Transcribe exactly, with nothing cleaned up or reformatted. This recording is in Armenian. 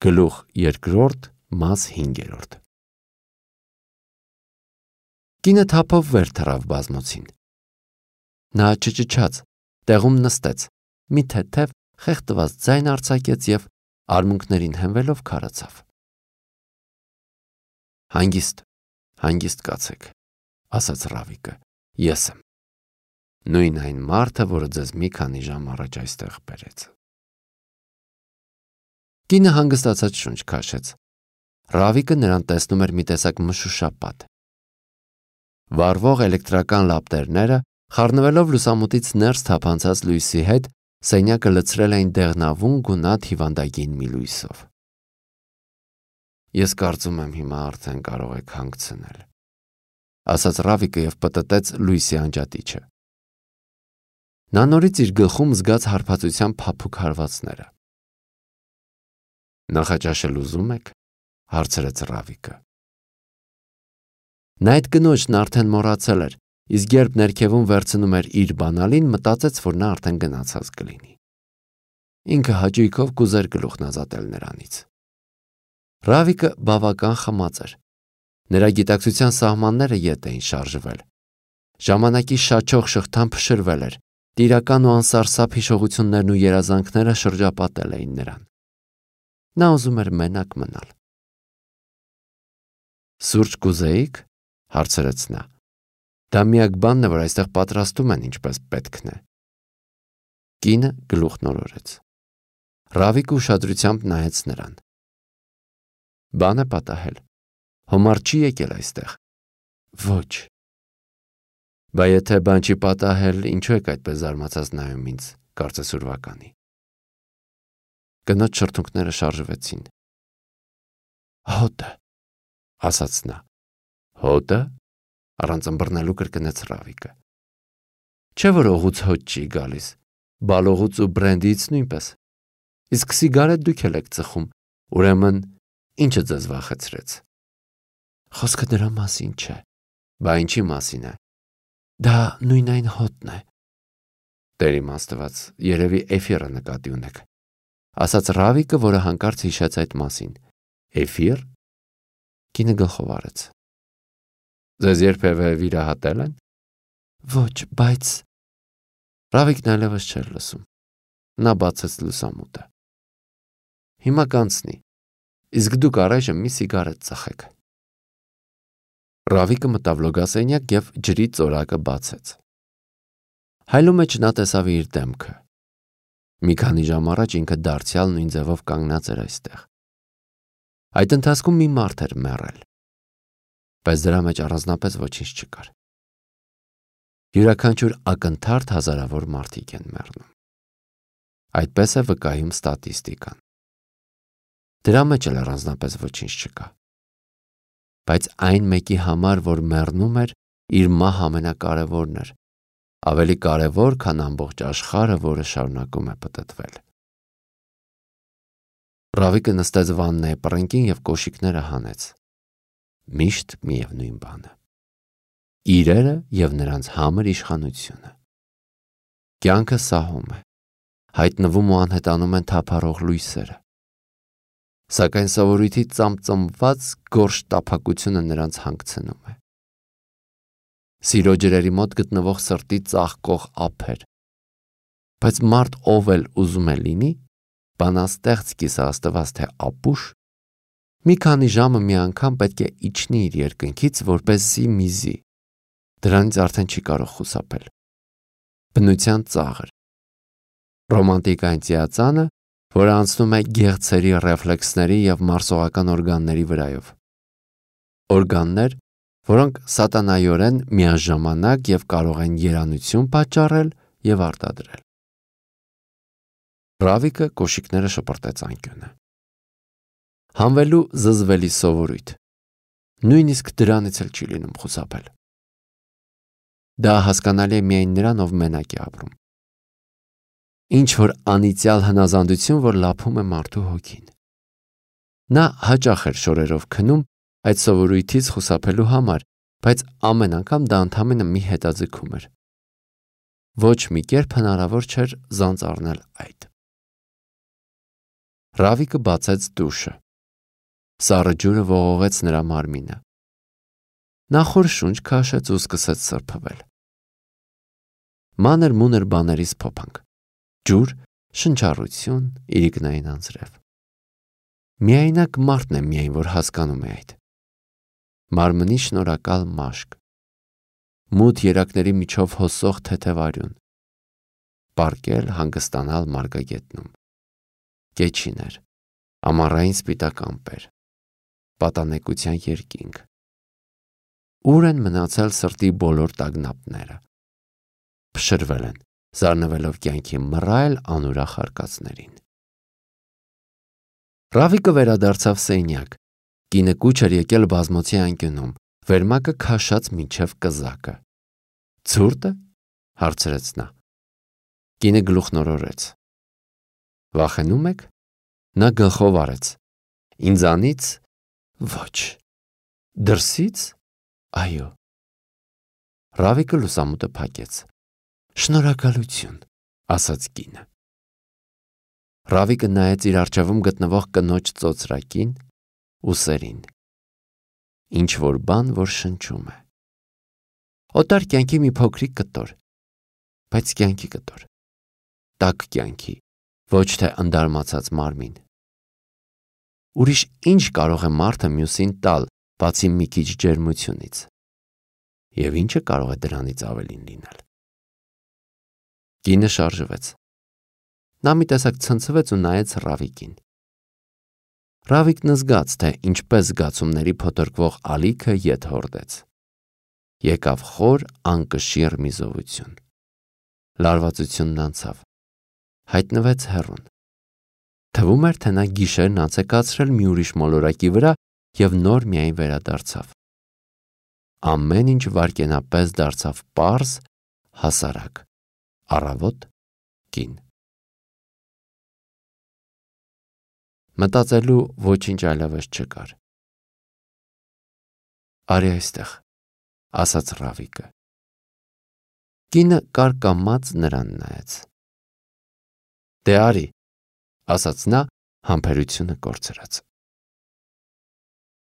Գլուխ երկրորդ, մաս հինգերորդ։ Կինը թափով վեր թռավ բազմոցին։ Նա չճչաց, տեղում նստեց, մի թեթև խեղդված ձայն արձակեց և արմունկներին հենվելով քարացավ։ Հանգիստ, հանգիստ կացեք, ասաց Ռավիկը, ես եմ։ Նույն այն մարդը, որը ձեզ մի քանի ժամ առաջ այստեղ բերեց։ Կինը հանգստացած շունչ քաշեց։ Ռավիկը նրան տեսնում էր մի տեսակ մշուշապատ։ Վառվող էլեկտրական լապտերները, խառնվելով լուսամուտից ներս թափանցած լույսի հետ, սենյակը լցրել էին դեղնավուն գունատ հիվանդագին մի լույսով։ Ես կարծում եմ հիմա արդեն կարող եք հանգցնել, ասաց Ռավիկը և պտտեց լույսի անջատիչը։ Նա նորից իր գլխում զգաց հարբածության փափուկ հարվածները։ Նախաճաշել ուզում եք, հարցրեց Ռավիկը։ Նա այդ կնոջն արդեն մոռացել էր, իսկ երբ ներքևում վերցնում էր իր բանալին, մտածեց, որ նա արդեն գնացած կլինի։ Ինքը հաճույքով կուզեր գլուխն ազատել նրանից։ Ռավիկը բավական խմած էր։ Նրա գիտակցության սահմանները ետ էին շարժվել։ Ժամանակի շաչող շղթան փշրվել էր, տիրական ու անսարսափ հիշողություններն ու երազանքները շրջապատել էին նրան։ Նա ուզում էր մենակ մնալ։ Սուրճ կուզեիք, հարցրեց նա։ Դա միակ բանն է, որ այստեղ պատրաստում են ինչպես պետքն է։ Կինը գլուխ նորորեց։ Ռավիկը ուշադրությամբ նայեց նրան։ Բան է պատահել։ Հոմար չի եկել այստեղ։ Ոչ։ Բա եթե բան չի պատահել, ինչու եք այդպես զարմացած նայում ինձ, կարծես ուրվականի։ Կնոջ շրթունքները շարժվեցին։ Հոտը, ասաց նա։ Հոտը, առանց ըմբռնելու կրկնեց Ռավիկը։ Չէ՞ որ օղուց հոտ չի գալիս, բալողուց ու բրենդից նույնպես։ Իսկ սիգարետ դուք էլ եք ծխում, ուրեմն ինչը ձեզ վախեցրեց։ Խոսքը դրա մասին չէ։ Բա ինչի մասին է։ Դա նույն այն հոտն է։ Տեր իմ Աստված, երևի էֆիրը նկատի ունեք, ասաց Ռավիկը, որը հանկարծ հիշեց այդ մասին։ Էֆիր։ Կինը գլխով արեց։ Ձեզ երբևէ վիրահատել են։ Ոչ, բայց Ռավիկն այլևս չէր լսում։ Նա բացեց լուսամուտը։ Հիմա կանցնի, իսկ դուք առայժմ մի սիգարետ ծխեք։ Ռավիկը մտավ լոգասենյակ և ջրի ծորակը բացեց։ Հայլու մեջ նա տեսավ իր դեմքը։ Մի քանի ժամ առաջ ինքը դարձյալ նույն ձևով կանգնած էր այստեղ։ Այդ ընթացքում մի մարդ էր մեռել, բայց դրա մեջ առանձնապես ոչինչ չկար։ Յուրաքանչյուր ակնթարթ հազարավոր մարդիկ են մեռնում։ Այդպես է վկայում ստատիստիկան։ Դրա մեջ էլ առանձնապես ոչինչ չկա։ Բայց այն մեկի համար, որ մեռնում էր, իր մահ ամենակարևորն էր, ավելի կարևոր, քան ամբողջ աշխարհը, որը շարունակում է պտտվել։ Ռավիկը նստեց վաննայի պռնկին և կոշիկները հանեց։ Միշտ միևնույն բանը։ Իրերը և նրանց համր իշխանությունը։ Կյանքը սահում է, հայտնվում ու անհետանում են թափառող լույսերը։ Սակայն սովորույթի ծամծմված գորշ տափակությունը նրանց հանգցնում է։ Սիրո ջրերի մոտ գտնվող սրտի ծաղկող ափեր։ Բայց մարդ ով էլ ուզում է լինի, բանաստեղծ կիսաստված թե ապուշ, մի քանի ժամը մի անգամ պետք է իջնի իր երկնքից, որպեսզի միզի։ Դրանից արդեն չի կարող խուսափել։ Բնության ծաղր։ Ռոմանտիկային ծիածանը, որը անցնում է գեղձերի ռեֆլեքսների և մարսողական օրգանների վրայով։ Օրգաններ, որոնք սատանայորեն միաժամանակ և կարող են երանություն պատճառել և արտադրել։ Ռավիկը կոշիկները շպրտեց անկյունը։ Հանվելու զզվելի սովորույթ։ Նույնիսկ դրանից էլ չի լինում խուսափել։ Դա հասկանալի է միայն նրան, ով մենակ է ապրում։ Ինչ որ անիծյալ հնազանդություն, որ լափում է մարդու հոգին։ Նա հաճախ էր շորերով քնում այդ սովորույթից խուսափելու համար, բայց ամեն անգամ դա ընդամենը մի հետաձգում էր։ Ոչ մի կերպ հնարավոր չէր զանց առնել այդ։ Ռավիկը բացեց դուշը։ Սառը ջուրը ողողեց նրա մարմինը։ Նա խոր շունչ քաշեց ու սկսեց սրբվել։ Մանր մուներ բաներից փոփանք, ջուր, շնչառություն, իրիկնային անձրև։ Միայնակ մարդն է միայն, որ հասկանում է այդ։ Մարմնի շնորհակալ մաշկ, մութ երակների միջով հոսող թեթև արյուն, պառկել հանգստանալ մարգագետնում, կեչիներ, ամառային սպիտակ ամպեր, պատանեկության երկինք։ Ուր են մնացել սրտի բոլոր տագնապները։ Փշրվել են, զարնվելով կյանքի մռայլ անուրախ արկածներին։ Ռավիկը վերադարձավ սենյակ։ Կինը կուչ էր եկել բազմոցի անկյունում, վերմակը քաշած մինչև կզակը։ Ցուրտը, հարցրեց նա։ Կինը գլուխնորորեց։ Վախենում եք։ Նա գլխով արեց։ Ինձանից ոչ։ Դրսից այո։ Ռավիկը լուսամուտը փակեց։ Շնորհակալություն, ասաց կինը։ Ռավիկը նայեց իր առջևում գտնվող կնոջ ծոծրակին, ուսերին։ Ինչ որ բան, որ շնչում է։ Օտար կյանքի մի փոքրիկ կտոր, բայց կյանքի կտոր։ Տաք կյանքի, ոչ թե ընդարմացած մարմին։ Ուրիշ ինչ կարող է մարդը մյուսին տալ, բացի մի քիչ ջերմությունից։ Եվ ինչը կարող է դրանից ավելին լինել։ Կինը շարժվեց։ Նա մի տեսակ ցնցվեց ու նայեց Ռավիկին։ Ռավիկն զգաց, թե ինչպես զգացումների փոթորկվող ալիքը ետ հորդեց։ Եկավ խոր անկշիռ մի զովություն։ Լարվածությունն անցավ։ Հայտնվեց հեռուն։ Թվում էր, թե նա գիշերն անց է կացրել մի ուրիշ մոլորակի վրա և նոր միայն վերադարձավ։ Ամեն ինչ վայրկենապես դարձավ պարզ, հասարակ, առավոտ, կին։ Մտածելու ոչինչ այլևս չկար։ Արի այստեղ, ասաց Ռավիկը։ Կինը կարկամած նրան նայեց։ Դե արի, ասաց նա համբերությունը կորցրած։